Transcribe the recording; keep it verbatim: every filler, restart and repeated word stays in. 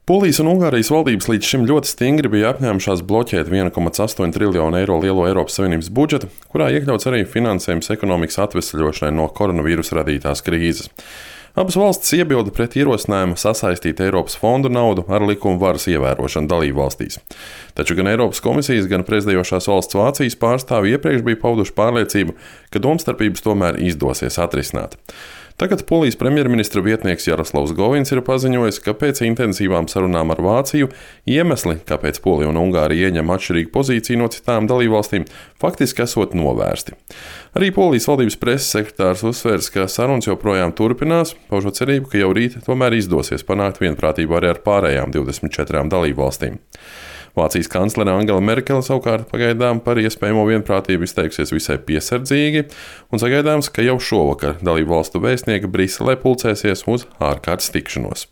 Polijas un Ungārijas valdības līdz šim ļoti stingri bija apņēmušās bloķēt viena komats astoņi triljonu eiro lielo Eiropas Savienības budžetu, kurā iekļauts arī finansējums ekonomikas atvesļošanai no koronavīrusa radītās krīzes. Abas valstis iebilda pret ierosinājumu sasaistīt Eiropas fondu naudu ar likuma varas ievērošanu dalību valstīs. Taču gan Eiropas komisijas, gan prezidējošās valsts Vācijas pārstāvji iepriekš bija pauduši pārliecību, ka domstarpības tomēr izdosies atrisināt. Tagad Polijas premjerministra vietnieks Jaroslavs Govins ir paziņojis, ka pēc intensīvām sarunām ar Vāciju iemesli, kāpēc Polija un Ungārija ieņem atšķirīgu pozīciju no citām dalībvalstīm, faktiski esot novērsti. Arī Polijas valdības preses sekretārs uzsvērs, ka sarunas joprojām turpinās, paužot cerību, ka jau rīt tomēr izdosies panākt vienprātību arī ar pārējām divdesmit četrām dalībvalstīm. Vācijas kanclere Angela Merkele savukārt pagaidām par iespējamo vienprātību izteiksies visai piesardzīgi, un sagaidāms, ka jau šovakar dalību valstu vēstnieki Briselē pulcēsies uz ārkārtas tikšanos.